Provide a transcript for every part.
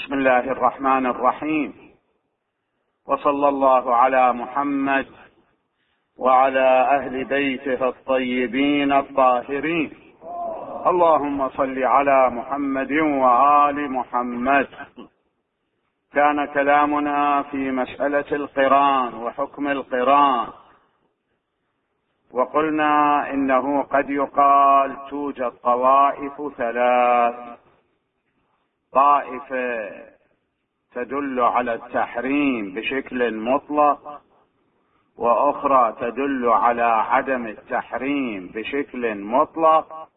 بسم الله الرحمن الرحيم، وصلى الله على محمد وعلى أهل بيته الطيبين الطاهرين. اللهم صل على محمد وآل محمد. كان كلامنا في مسألة القران وحكم القران، وقلنا إنه قد يقال توجد طوائف ثلاث: طائفة تدل على التحريم بشكل مطلق، وأخرى تدل على عدم التحريم بشكل مطلق،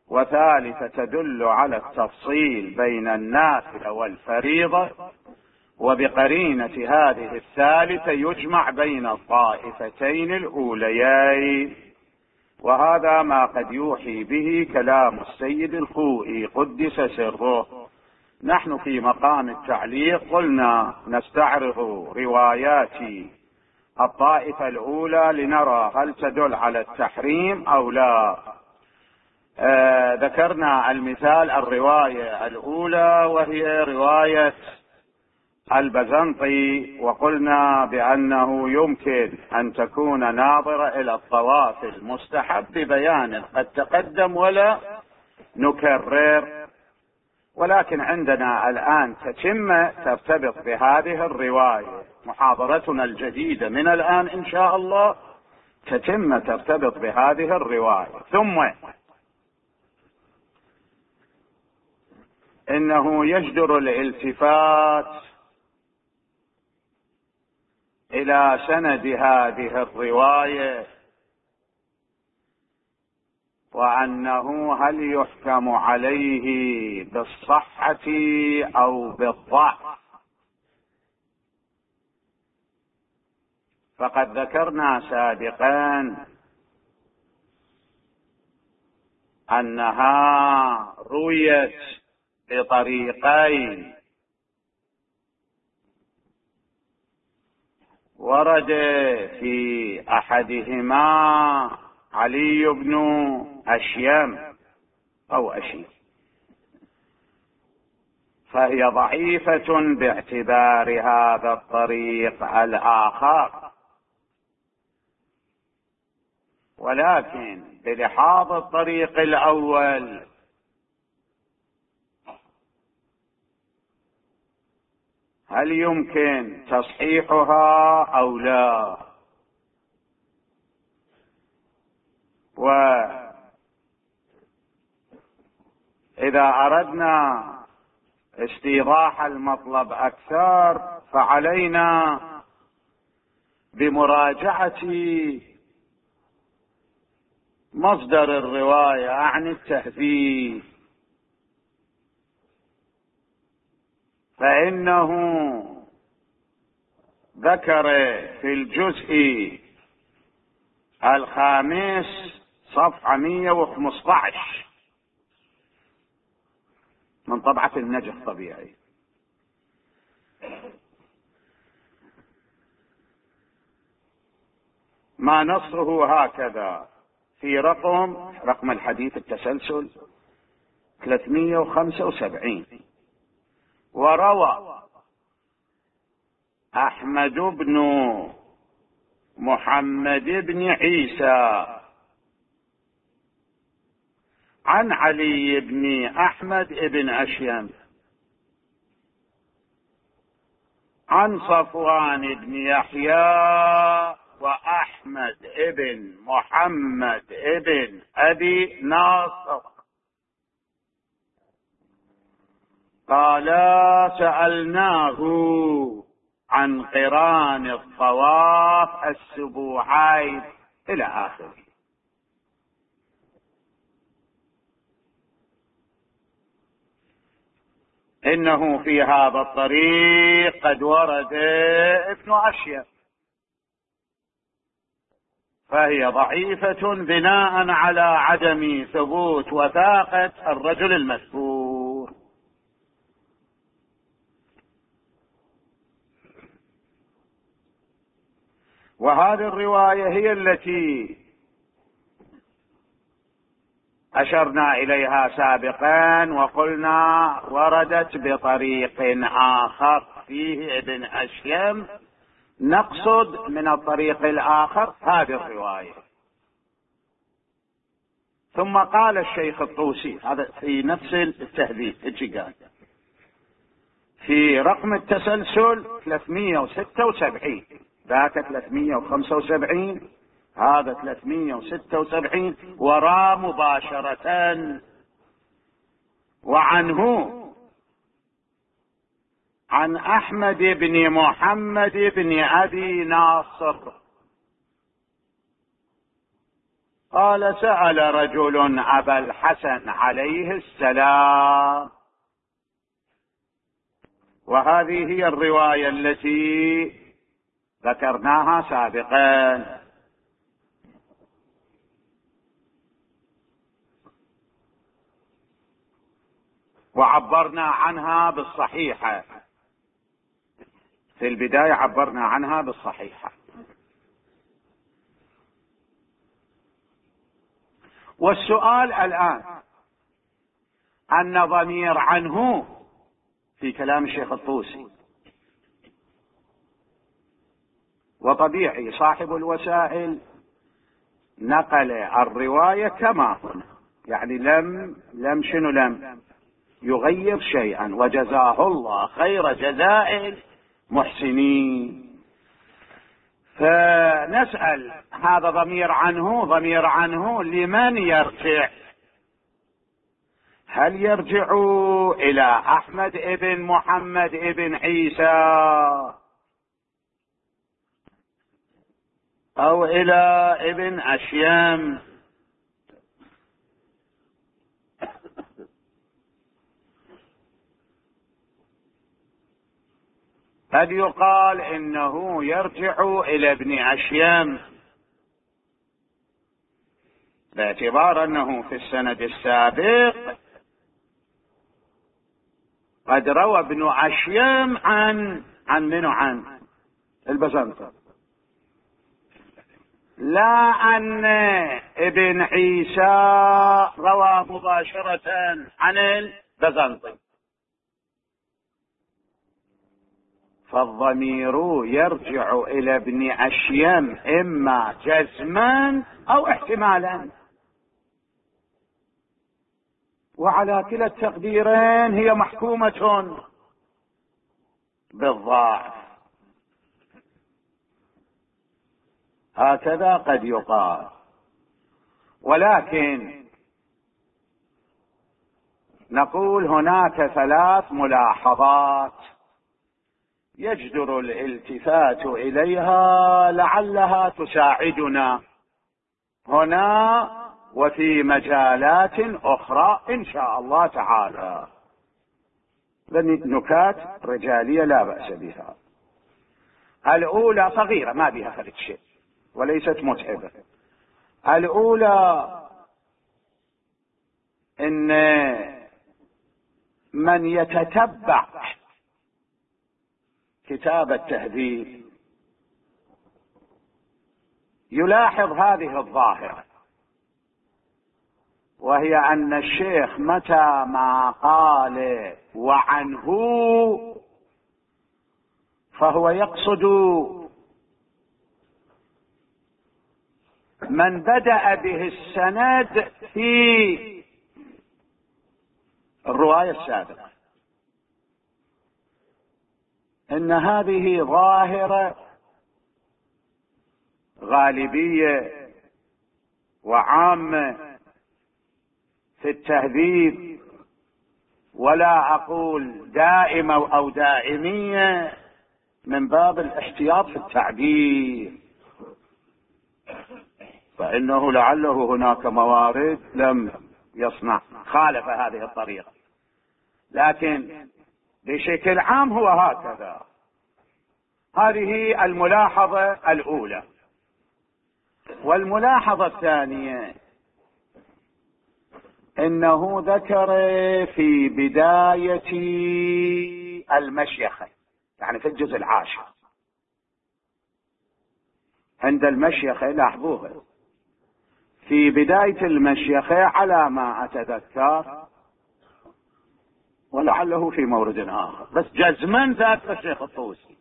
وثالثة تدل على التفصيل بين النافلة والفريضة، وبقرينة هذه الثالثة يجمع بين الطائفتين الأوليين. وهذا ما قد يوحي به كلام السيد الخوئي قدس سره. نحن في مقام التعليق قلنا نستعرض روايات الطائفة الأولى لنرى هل تدل على التحريم أو لا. ذكرنا المثال الرواية الأولى وهي رواية البزنطي، وقلنا بأنه يمكن أن تكون ناظرة إلى الطواف المستحب ببيان قد تقدم ولا نكرر، ولكن عندنا الآن تتمة ترتبط بهذه الرواية. محاضرتنا الجديدة من الآن إن شاء الله تتمة ترتبط بهذه الرواية. ثم إنه يجدر الالتفات إلى سند هذه الرواية، وأنه هل يحكم عليه بالصحة أو بالضعف. فقد ذكرنا سابقا أنها رويت بطريقين: ورد في أحدهما علي بن أشيم أو أشيم، فهي ضعيفة باعتبار هذا الطريق الآخر، ولكن بلحاظ الطريق الأول هل يمكن تصحيحها أو لا؟ وإذا أردنا استيضاح المطلب أكثر فعلينا بمراجعة مصدر الرواية عن التهذيب، فإنه ذكر في الجزء الخامس صفحة 115 من طبعة النجح طبيعي، ما نصه هكذا في رقم الحديث التسلسل 375: وروى أحمد بن محمد بن عيسى عن علي بن أحمد بن أشيم عن صفوان بن يحيى وأحمد بن محمد بن أبي ناصر قال: سألناه عن قران الطواف السبوعين إلى آخره. إنه في هذا الطريق قد ورد ابن أشيم، فهي ضعيفة بناء على عدم ثبوت وثاقة الرجل المذكور. وهذه الرواية هي التي أشرنا إليها سابقا وقلنا وردت بطريق آخر فيه ابن أشيم، نقصد من الطريق الآخر هذه الرواية. ثم قال الشيخ الطوسي، هذا في نفس التهذيب قال في رقم التسلسل 376، ذاك 375 هذا 376 وراء مباشرة. وعنه عن أحمد بن محمد بن أبي ناصر قال سأل رجل أبا الحسن عليه السلام، وهذه هي الرواية التي ذكرناها سابقا. وعبرنا عنها بالصحيحة، في البداية عبرنا عنها بالصحيحة. والسؤال الآن أن ضمير عنه في كلام الشيخ الطوسي، وطبيعي صاحب الوسائل نقل الرواية كما هنا، يعني لم يغير شيئا، وجزاه الله خير جزاء المحسنين. فنسأل هذا ضمير عنه لمن يرجع؟ هل يرجع إلى أحمد ابن محمد ابن عيسى أو إلى ابن أشيم؟ قد يقال إنه يرجع إلى ابن أشيم باعتبار أنه في السند السابق قد روى ابن أشيم عن البزنطي، لا أن ابن عيسى روى مباشرة عن البزنطي. فالضمير يرجع إلى ابن أشيم إما جزما أو احتمالا، وعلى كلا التقديرين هي محكومة بالضعف. هكذا قد يقال، ولكن نقول هناك 3 ملاحظات يجدر الالتفات إليها لعلها تساعدنا هنا وفي مجالات أخرى إن شاء الله تعالى. نكات رجالية لا بأس بها. الأولى صغيرة ما بها فرق شيء وليست متعبة. الأولى إن من يتتبع كتاب التهذيب يلاحظ هذه الظاهرة، وهي أن الشيخ متى ما قال وعنه فهو يقصد من بدأ به السند في الرواية السابقة. إن هذه ظاهرة غالبية وعامة في التهذيب، ولا أقول دائمة أو دائمية من باب الاحتياط في التعبير، فإنه لعله هناك موارد لم يصنع خالف هذه الطريقة، لكن بشكل عام هو هكذا. هذه الملاحظة الأولى. والملاحظة الثانية إنه ذكر في بداية المشيخة، يعني في الجزء العاشر عند المشيخة، لاحظوها في بداية المشيخة على ما أتذكر، ولعله في مورد آخر، بس جزما ذكر الشيخ الطوسي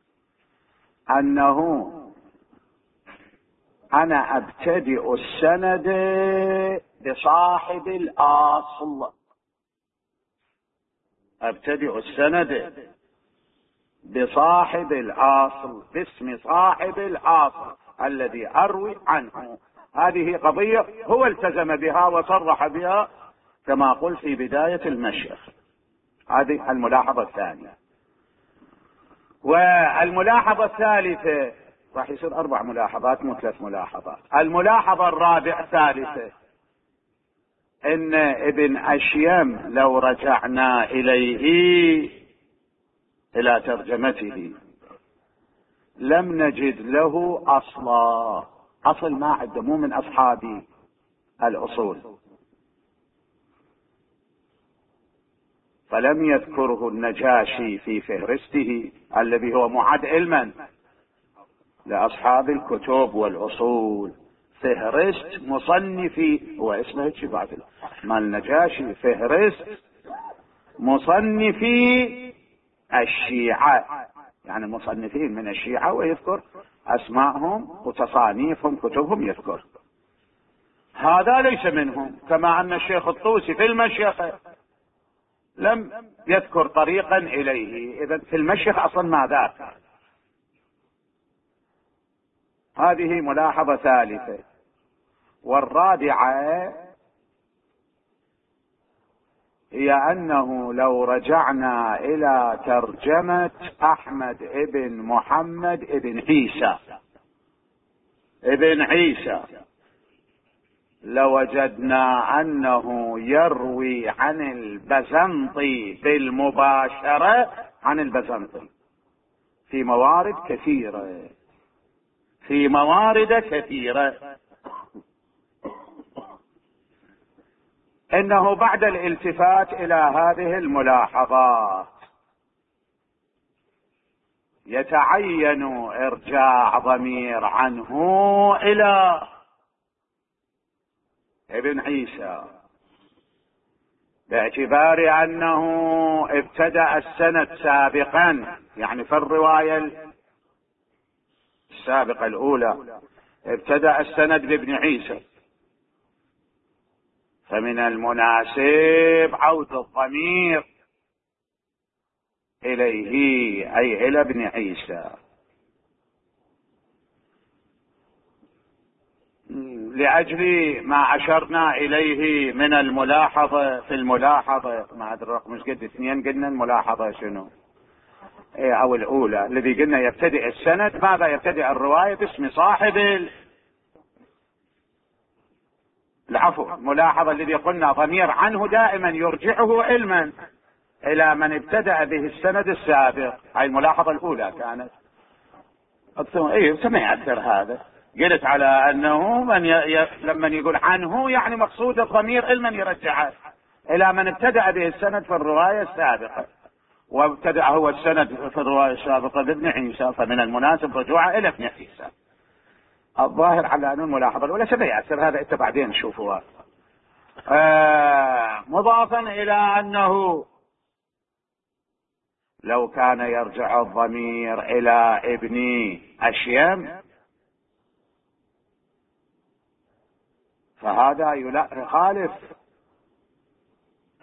أنه أنا أبتدئ السند بصاحب الأصل، أبتدئ السند بصاحب الأصل، باسم صاحب الأصل الذي أروي عنه. هذه قضية هو التزم بها وصرح بها كما قلت في بداية المشيخ. هذه الملاحظة الثانية. والملاحظة الثالثة، راح يصير 4 ملاحظات مو 3 ملاحظات. الملاحظة الرابعة الثالثة ان ابن أشيم لو رجعنا اليه الى ترجمته لم نجد له اصلا، اصل ما عنده، مو من اصحاب الاصول، فلم يذكره النجاشي في فهرسته الذي هو معد علما لاصحاب الكتب والاصول. فهرست مصنفي، هو اسمه هيك بعد مال النجاشي، فهرست مصنفي الشيعة، يعني المصنفين من الشيعة، ويذكر اسماءهم وتصانيفهم كتبهم يذكر. هذا ليس منهم، كما ان الشيخ الطوسي في المشيخة لم يذكر طريقا اليه، اذا في المشيخ اصلا ما ذاك. هذه ملاحظة ثالثة. والرابعة هي أنه لو رجعنا إلى ترجمة أحمد ابن محمد ابن عيسى لوجدنا أنه يروي عن البزنطي بالمباشرة عن البزنطي في موارد كثيرة، إنه بعد الالتفات إلى هذه الملاحظات يتعين إرجاع ضمير عنه إلى ابن عيسى، باعتبار أنه ابتدأ السند سابقا، يعني في الرواية السابقة الأولى ابتدأ السند بابن عيسى، فمن المناسب عود الضمير إليه أي إلى ابن عيسى، لأجل ما أشرنا إليه من الملاحظة. في الملاحظة ما أدري رقم مش قد 2 قلنا الملاحظة شنو، أو الأولى الذي قلنا يبتدئ السند، ماذا يبتدئ الرواية باسم صاحب العفو، ملاحظة الذي قلنا ضمير عنه دائما يرجعه علما إلى من ابتدأ به السند السابق. هاي الملاحظة الأولى كانت ما يأثر هذا. قلت على أنه لما يقول عنه يعني مقصود الضمير علما يرجعه إلى من ابتدأ به السند في الرواية السابقة، وابتدأ هو السند في الرواية السابقة بابن عيسى، فمن المناسب رجوعه إلى ابن عيسى. الظاهر على أن الملاحظة الأولى سيأثر هذا، انت بعدين نشوفه. مضافا إلى أنه لو كان يرجع الضمير إلى ابن أشيم فهذا يخالف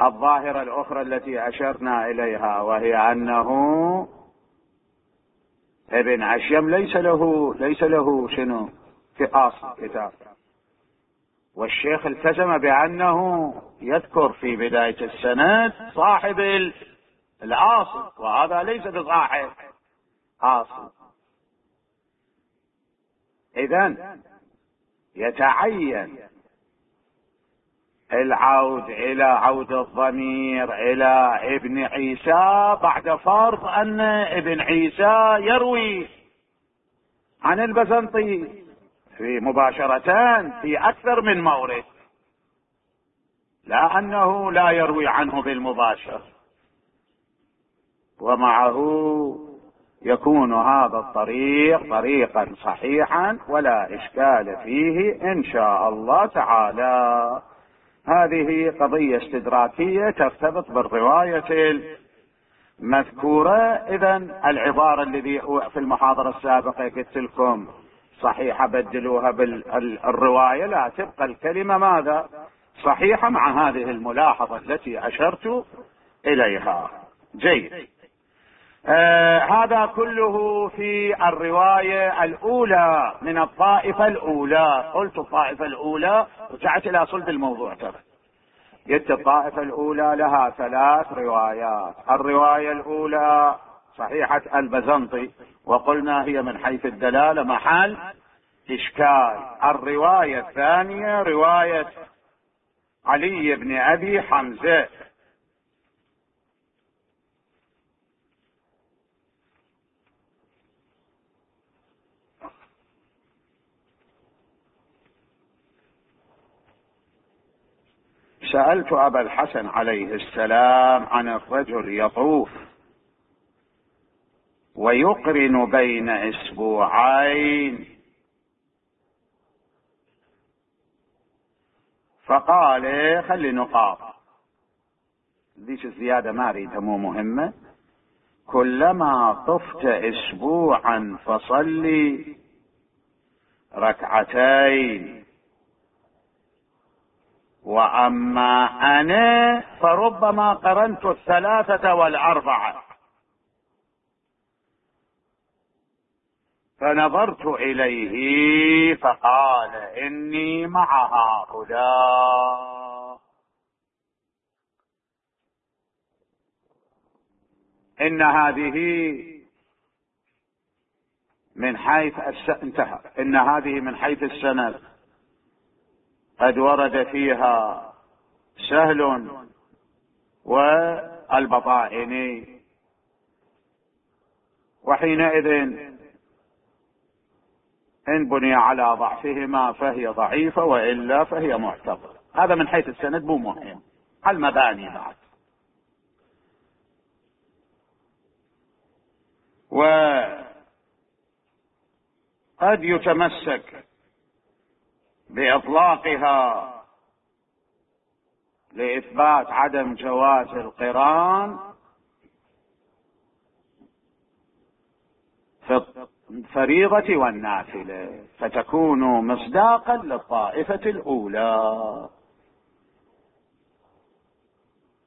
الظاهرة الأخرى التي أشرنا إليها، وهي أنه ابن أشيم ليس له شنو في أصل كتاب، والشيخ التزم بأنه يذكر في بداية السند صاحب الأصل، وهذا ليس بصاحب أصل. إذن يتعين العود إلى عود الضمير إلى ابن عيسى بعد فرض أن ابن عيسى يروي عن البزنطي في مباشرة في أكثر من مورد، لا أنه لا يروي عنه بالمباشر. ومعه يكون هذا الطريق طريقا صحيحا ولا إشكال فيه إن شاء الله تعالى. هذه قضية استدراكية ترتبط بالرواية المذكورة. إذن العبارة الذي في المحاضرة السابقة قلت لكم صحيحة بدلوها بالرواية، لا، تبقى الكلمة ماذا؟ صحيحة، مع هذه الملاحظة التي أشرت إليها. جيد. هذا كله في الرواية الأولى من الطائفة الأولى. قلت الطائفة الأولى، رجعت إلى صلب الموضوع ترى. قلت الطائفة الأولى لها 3 روايات. الرواية الأولى صحيحة البزنطي، وقلنا هي من حيث الدلالة محل إشكال. الرواية الثانية رواية علي بن أبي حمزة، سألت أبا الحسن عليه السلام عن الرجل يطوف ويقرن بين أسبوعين، فقال خلي نقاط، ليش الزيادة ما أريدها، مو مهمة. كلما طفت أسبوعا فصلي ركعتين، وأما أنا فربما قرنت 3 و4. فنظرت إليه فقال إني مع هؤلاء، إن هذه من حيث انتهى، إن هذه من حيث السند قد ورد فيها سهل والبطائني، وحينئذ إن بني على ضعفهما فهي ضعيفة، وإلا فهي معتبرة. هذا من حيث السند مو مهم، المباني بعد. وقد يتمسك بإطلاقها لإثبات عدم جواز القران في الفريضة والنافلة، فتكون مصداقا للطائفة الأولى.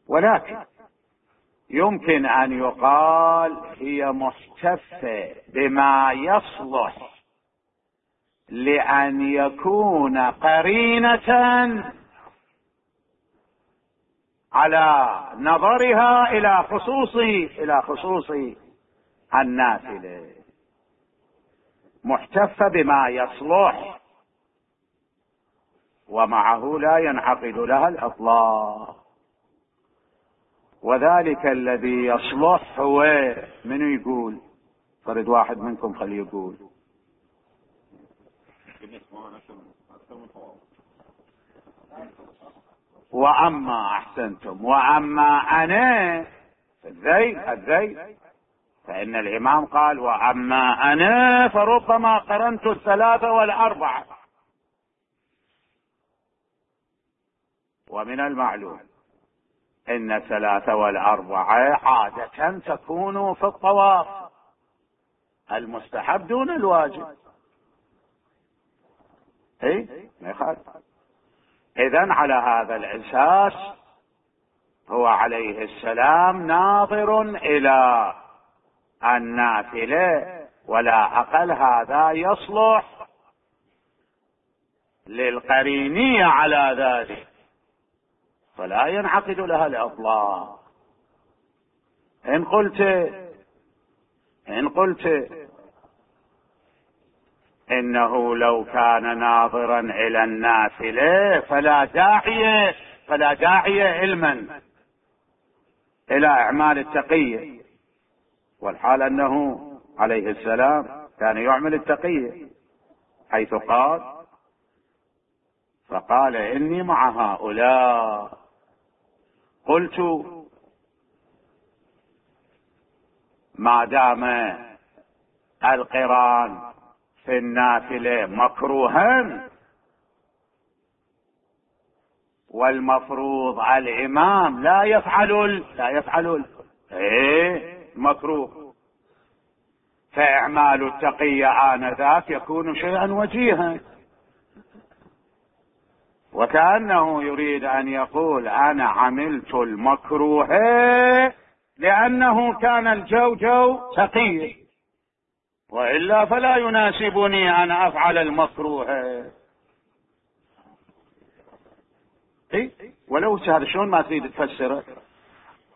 ولكن يمكن أن يقال هي محتفة بما يصلح لأن يكون قرينة على نظرها إلى خصوص النافلة، محتفة بما يصلح، ومعه لا ينعقد لها الإطلاق. وذلك الذي يصلح هو من يقول؟ فرد واحد منكم خليه يقول. وأما أحسنتم، وأما أنا الذيل، فإن الإمام قال وأما أنا فربما قرنت 3 و4. ومن المعلوم إن 3 و4 عادة تكون في الطواف المستحب دون الواجب. ما يخالف. إذن على هذا الأساس هو عليه السلام ناظر إلى النافلة، ولا أقل هذا يصلح للقرينية على ذلك، فلا ينعقد لها الإطلاق. إن قلت إنه لو كان ناظرا إلى النافلة فلا داعي علما إلى إعمال التقية، والحال أنه عليه السلام كان يعمل التقية، حيث فقال إني مع هؤلاء. قلت ما دام القران في النافلة مكروها، والمفروض على الإمام لا يفعل مكروه، فإعمال التقية آنذاك يكون شيئا وجيها، وكأنه يريد أن يقول أنا عملت المكروه لأنه كان الجو تقي، وإلا فلا يناسبني أن أفعل المكروه. ولو هذا شلون ما تريد تفسره؟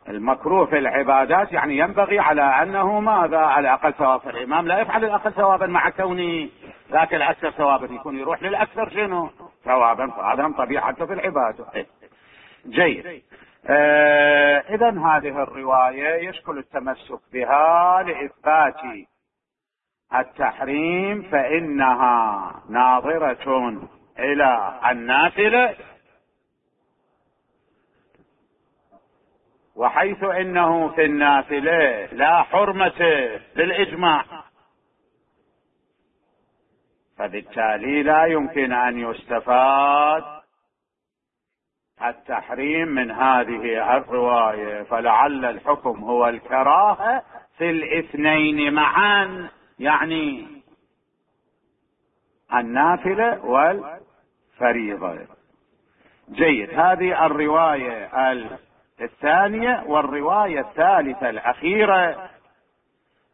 المكروه في العبادات يعني ينبغي على أنه ماذا؟ على أقل ثواب. الإمام لا يفعل الأقل ثوابا مع كونه ذاك الأكثر ثوابا، يكون يروح للأكثر شنو ثوابا، فهذا طبيعته في العبادة. جيد. إذن هذه الرواية يشكل التمسك بها لإثبات التحريم، فإنها ناظرة إلى النافلة، وحيث إنه في النافلة لا حرمة بالإجماع، فبالتالي لا يمكن أن يستفاد التحريم من هذه الرواية، فلعل الحكم هو الكراهة في الاثنين معا، يعني النافلة والفريضة. جيد. هذه الرواية الثانية. والرواية الثالثة الأخيرة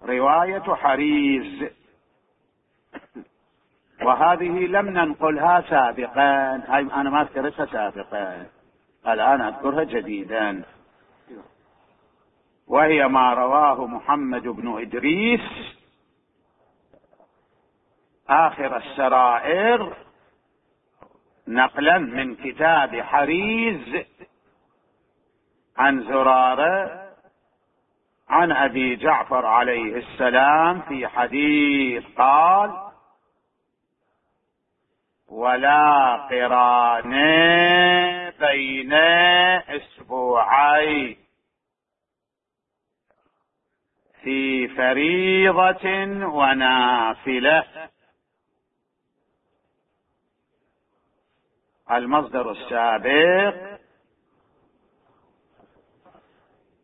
رواية حريز، وهذه لم ننقلها سابقا، أنا ما أذكرتها سابقا، الآن أذكرها جديدا، وهي ما رواه محمد بن إدريس آخر السرائر نقلا من كتاب حريز عن زرارة عن أبي جعفر عليه السلام في حديث قال: ولا قران بين اسبوعين في فريضة ونافلة. المصدر السابق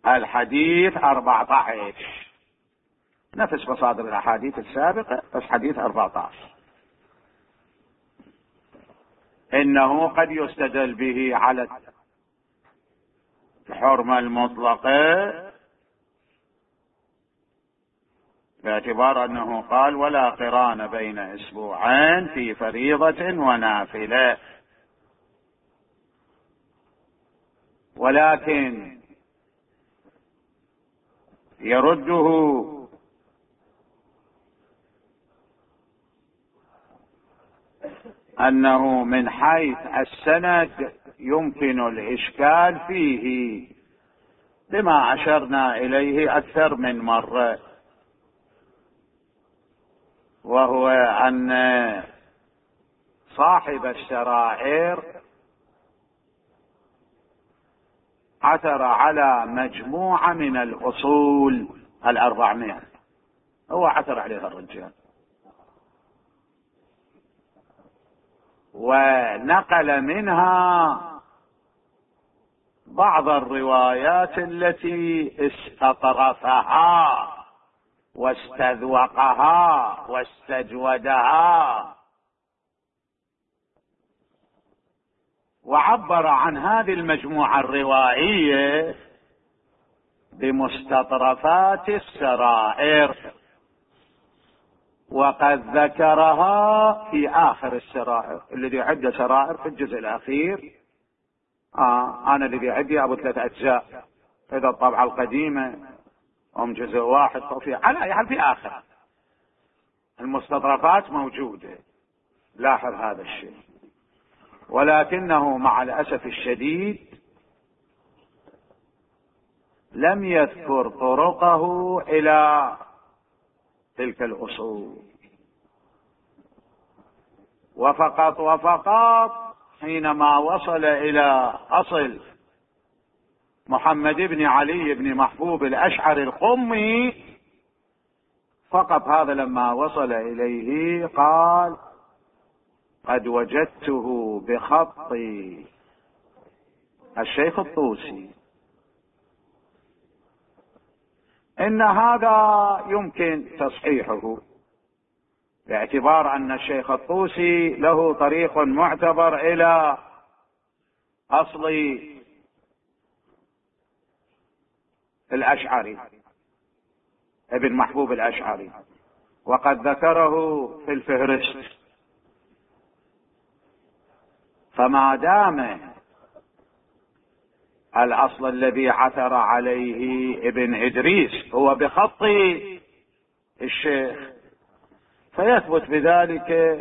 الحديث 14، نفس مصادر الأحاديث السابقة، بس حديث 14. إنه قد يستدل به على الحرمة المطلقة باعتبار أنه قال: ولا قران بين أسبوعين في فريضة ونافلة. ولكن يرده أنه من حيث السند يمكن الإشكال فيه بما أشرنا إليه أكثر من مرة، وهو أن صاحب السرائر عثر على مجموعة من الأصول 400، هو عثر عليها الرجال، ونقل منها بعض الروايات التي استطرفها واستذوقها واستجودها، وعبر عن هذه المجموعة الروائية بمستطرفات السرائر، وقد ذكرها في آخر السرائر. الذي عد سرائر في الجزء الأخير، أنا الذي عندي أبو 3 أجزاء، إذا الطبعة القديمة هم جزء واحد، على حال في آخر المستطرفات موجودة، لاحظ هذا الشيء. ولكنه مع الأسف الشديد لم يذكر طرقه إلى تلك الأصول، وفقط حينما وصل إلى أصل محمد بن علي بن محبوب الأشعري القمي فقط هذا لما وصل إليه قال: قد وجدته بخط الشيخ الطوسي، إن هذا يمكن تصحيحه، باعتبار أن الشيخ الطوسي له طريق معتبر إلى أصل الأشعري، ابن محبوب الأشعري، وقد ذكره في الفهرست. فما دام الأصل الذي عثر عليه ابن إدريس هو بخط الشيخ، فيثبت بذلك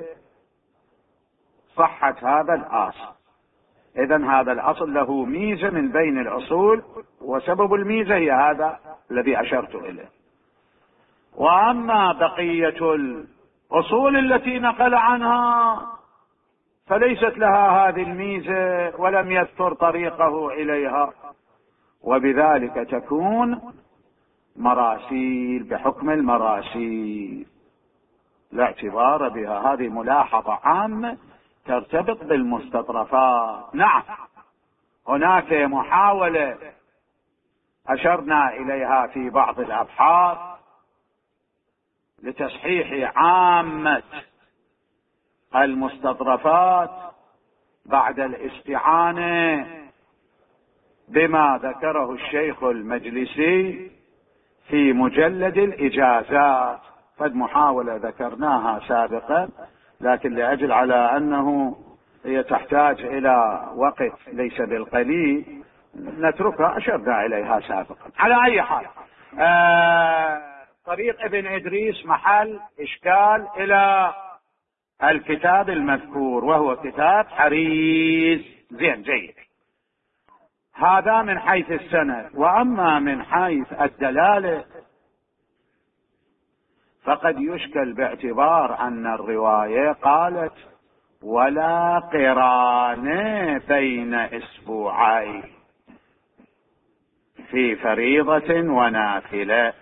صحة هذا الأصل. إذن هذا الأصل له ميزة من بين الأصول، وسبب الميزة هي هذا الذي أشرت إليه. وأما بقية الأصول التي نقل عنها فليست لها هذه الميزة ولم يذكر طريقه إليها، وبذلك تكون مراسيل بحكم المراسيل لا اعتبار بها. هذه ملاحظة عامة ترتبط بالمستطرفات. نعم، هناك محاولة أشرنا إليها في بعض الأبحاث لتصحيح عامة المستطرفات بعد الاستعانة بما ذكره الشيخ المجلسي في مجلد الإجازات. قد محاولة ذكرناها سابقا، لكن لأجل على أنه هي تحتاج إلى وقت ليس بالقليل نتركها، أشرنا إليها سابقا. على أي حال، طريق ابن إدريس محل إشكال إلى الكتاب المذكور، وهو كتاب حريز. زين، جيد. هذا من حيث السند. وأما من حيث الدلالة فقد يشكل باعتبار أن الرواية قالت: ولا قران بين أسبوعين في فريضة ونافلة.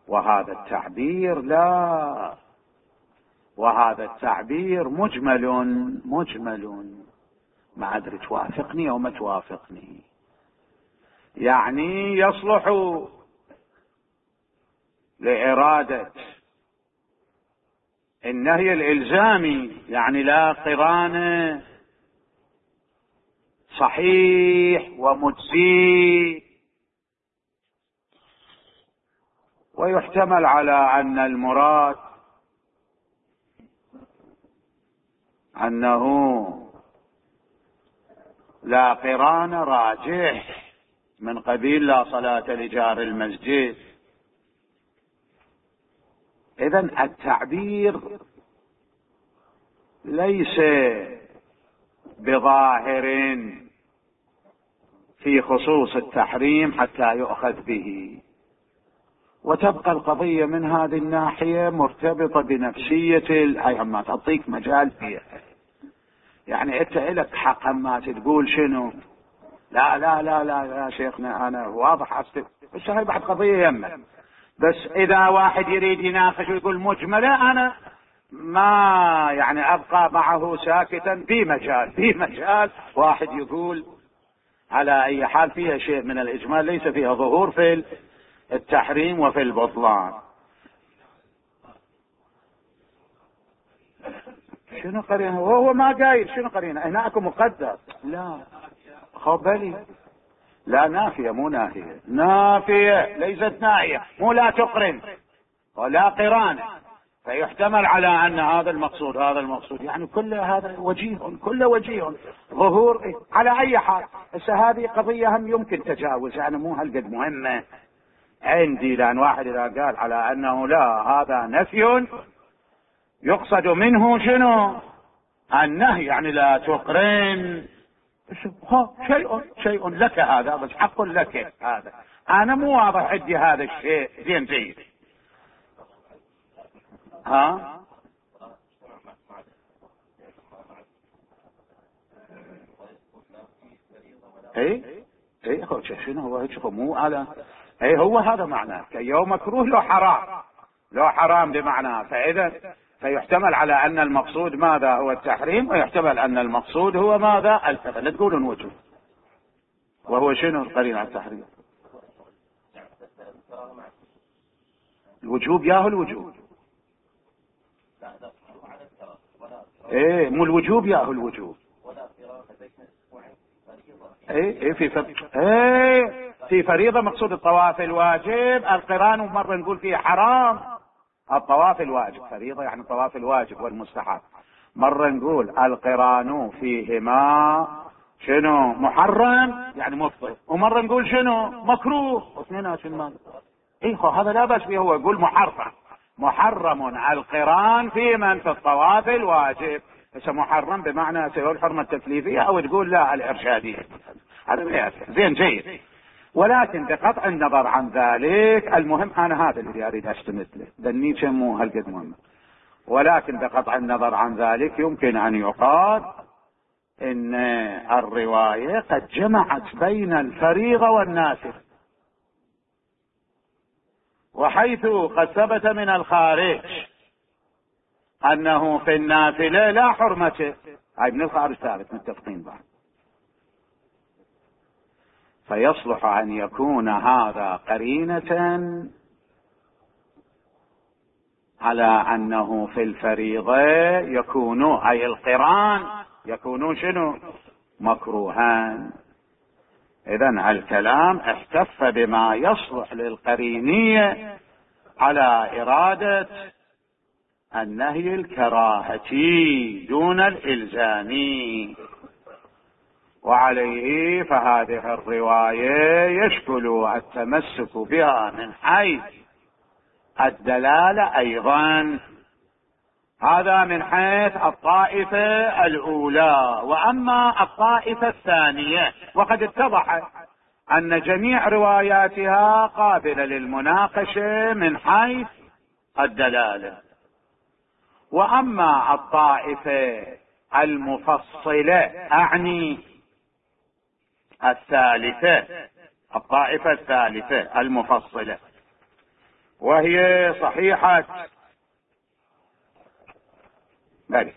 وهذا التعبير لا، وهذا التعبير مجمل، ما أدري توافقني أو ما توافقني. يعني يصلح لإرادة النهي الإلزامي، يعني لا قران صحيح ومجزي، ويحتمل على أن المراد أنه لا قران راجح من قبيل لا صلاة لجار المسجد. إذن التعبير ليس بظاهر في خصوص التحريم حتى يؤخذ به، وتبقى القضية من هذه الناحية مرتبطة بنفسية ما تعطيك مجال فيها. يعني انت لك حق ما تقول شنو، لا لا لا لا يا شيخنا انا واضح أستف، بس هاي بعد قضية يمه. بس اذا واحد يريد يناقش ويقول مجملة، انا ما يعني ابقى معه ساكتا. في مجال واحد يقول على اي حال فيها شيء من الاجمال، ليس فيها ظهور في التحريم وفي البطلان. شنو قرينه؟ وهو ما قايل شنو قرينه. هناك مقدر، لا خبلي، لا نافية مو ناهية، نافية ليست ناهية، مو لا تقرن ولا قران. فيحتمل على أن هذا المقصود يعني كل هذا وجيه، كل وجيه ظهور. على أي حال هذه قضية هم يمكن تجاوز، يعني مو هالقد مهمة عندي، لأن واحد إذا قال على أنه لا هذا نفي يقصد منه شنو؟ النهي، يعني لا تقرن. شيء لك هذا، بس حق لك هذا. أنا مو واضح عندي هذا الشيء. زين جيد. اي شنو هو هيك؟ مو على اي هو هذا معناه يوم مكروه لو حرام، لو حرام بمعنى، فإذا فيحتمل على أن المقصود ماذا هو التحريم، ويحتمل أن المقصود هو ماذا الفعل. لا تقولون وجوب، وهو شنو القرين على التحريم؟ الوجوب ياهو الوجوب، ايه مو الوجوب ياهو الوجوب، ايه في فريضة مقصود الطواف الواجب، القران مرة نقول فيه حرام. الطواف الواجب فريضة يعني الطواف الواجب والمستحب، مرة نقول القران فيهما شنو محرم يعني مفطر، ومرة نقول شنو مكروه، واثنين شنو هذا لا بأس فيه، هو يقول محرم القران في من في الطواف الواجب، بس محرم بمعنى سواء الحرمة التكليفية او تقول لا الارشادية، هذا زين جيد. ولكن بقطع النظر عن ذلك، المهم انا هذا اللي اريد استند له، دنيتش مو هالقد مهم، ولكن بقطع النظر عن ذلك يمكن ان يقال ان الرواية قد جمعت بين الفريضة والنافلة، وحيث قد ثبت من الخارج انه في النافلة لا حرمة، هاي من الخارج ثابت متفقين بعد، فيصلح ان يكون هذا قرينة على انه في الفريضة يكون اي القران يكون شنو مكروهان. اذن الكلام احتف بما يصلح للقرينية على ارادة النهي الكراهتي دون الالزامي، وعليه فهذه الرواية يشكل التمسك بها من حيث الدلالة ايضا، هذا من حيث الطائفة الاولى. واما الطائفة الثانية وقد اتضح ان جميع رواياتها قابلة للمناقشة من حيث الدلالة، واما الطائفة المفصلة اعني الثالثة، الطائفة الثالثة المفصلة، وهي صحيحة بل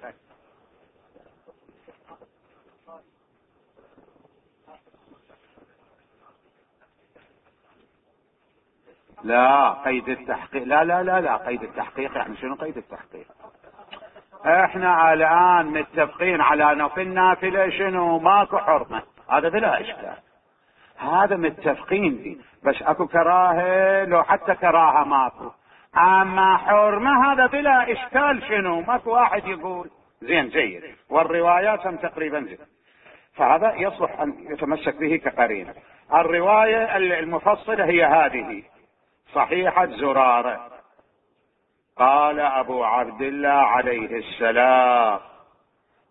لا قيد التحقيق، لا قيد التحقيق يعني شنو قيد التحقيق؟ احنا الان متفقين على انه في النافلة شنو ماكو حرمة، هذا بلا اشكال، هذا متفقين فيه، بس اكو كراهة لو حتى كراهة ماكو، اما حرمة هذا بلا اشكال شنو ماكو واحد يقول زين جيد، والروايات هم تقريبا زين، فهذا يصلح ان يتمسك به كقرينة. الرواية المفصلة هي هذه صحيحة زرارة، قال ابو عبد الله عليه السلام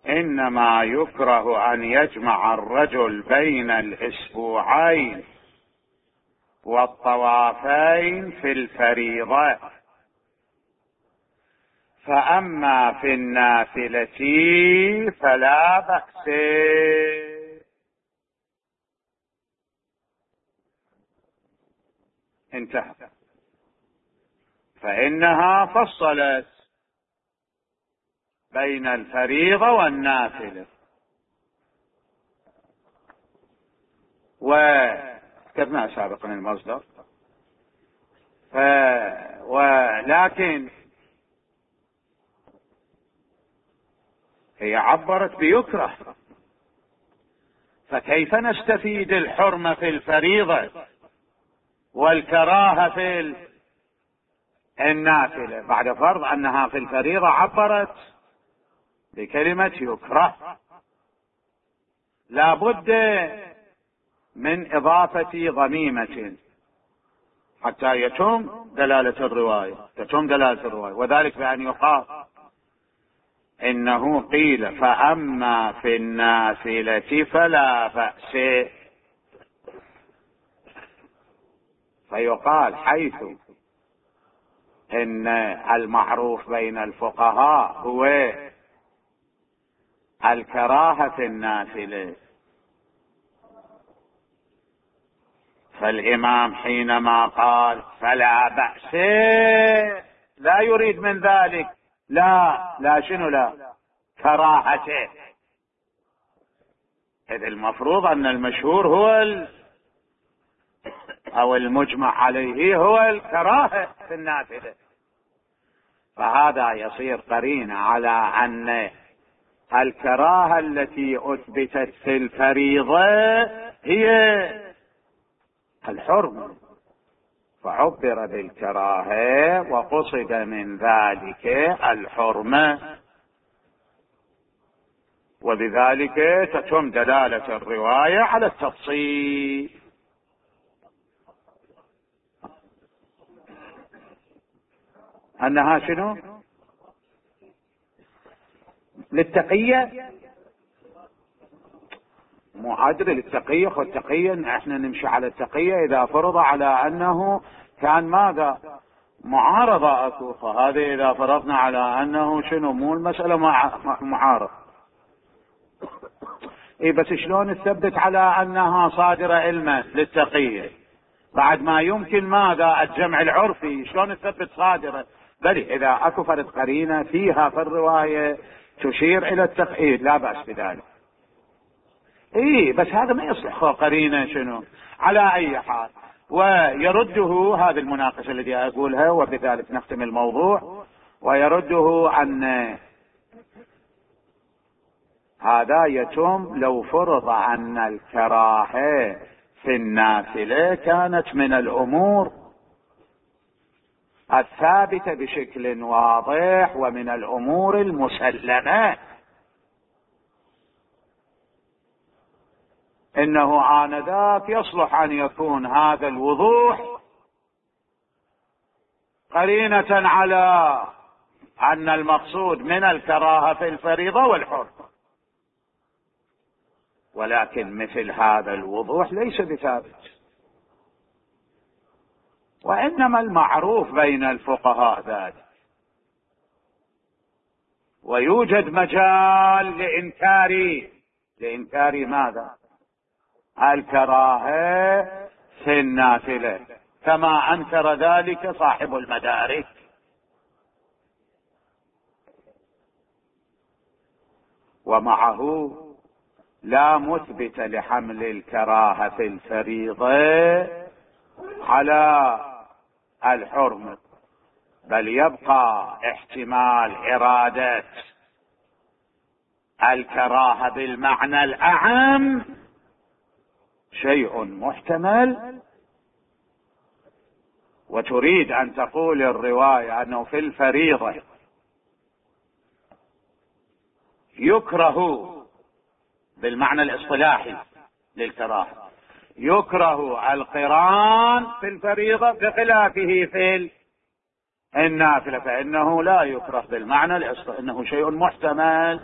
انما يكره ان يجمع الرجل بين الاسبوعين والطوافين في الفريضة، فاما في النافلة فلا بأس. انتهى، فانها فصلت بين الفريضة والنافلة، وذكرنا سابقا المصدر، ولكن هي عبرت بيكره، فكيف نستفيد الحرمة في الفريضة والكراهة في النافلة بعد فرض انها في الفريضة عبرت بكلمة يكره؟ لا بد من اضافة ضميمة حتى يتم دلالة الرواية، وذلك بأن يقال انه قيل فاما في النافلة فلا بأس، فيقال حيث ان المعروف بين الفقهاء هو الكراهة في النافلة، فالإمام حينما قال فلا بأس لا يريد من ذلك لا شنو لا كراهته، إذ المفروض أن المشهور هو أو المجمع عليه هو الكراهة في النافلة، فهذا يصير قرينة على أن الكراهة التي أثبتت في الفريضة هي الحرمة، فعبر بالكراهة وقصد من ذلك الحرمة، وبذلك تتم دلالة الرواية على التفصيل. أنها شنو؟ للتقية، مو عدل للتقية، والتقية احنا نمشي على التقية إذا فرض على أنه كان ماذا معارضة أكو، فهذا إذا فرضنا على أنه شنو مو المسألة معارض. إيه بس شلون نثبت على أنها صادرة علما للتقية بعد ما يمكن ماذا الجمع العرفي؟ شلون نثبت صادرة؟ بل إذا أكو فرد قرينة فيها في الرواية تشير إلى التقييد لا بأس بذلك. إيه بس هذا ما يصلح قرينة شنو على أي حال. ويرده هذه المناقشة التي أقولها وبذلك نختم الموضوع، ويرده أن هذا يتم لو فرض أن الكراهة في النافلة كانت من الأمور الثابتة بشكل واضح ومن الأمور المسلمة، إنه آنذاك يصلح أن يكون هذا الوضوح قرينة على أن المقصود من الكراهة في الفريضة والحرمة، ولكن مثل هذا الوضوح ليس بثابت، وإنما المعروف بين الفقهاء ذلك، ويوجد مجال لإنكار ماذا؟ الكراهة في النافلة، كما أنكر ذلك صاحب المدارك. ومعه لا مثبت لحمل الكراهة في الفريضة على الحرمة، بل يبقى احتمال إرادة الكراهة بالمعنى الأعم شيء محتمل، وتريد أن تقول الرواية أنه في الفريضة يكره بالمعنى الاصطلاحي للكراهة، يكره القران في الفريضة بخلافه في النافلة، فإنه لا يكره بالمعنى الاصطلاحي، إنه شيء محتمل.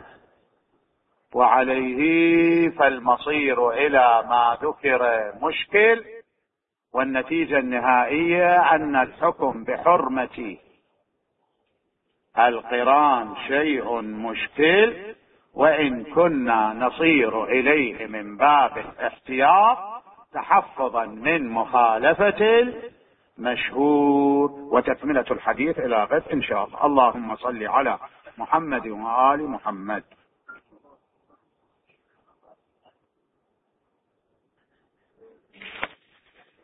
وعليه فالمصير إلى ما ذكر مشكل، والنتيجة النهائية أن الحكم بحرمة القران شيء مشكل، وإن كنا نصير إليه من باب الاحتياط تحفظا من مخالفة المشهور. وتكملة الحديث إلى غد إن شاء الله. اللهم صل على محمد وآل محمد.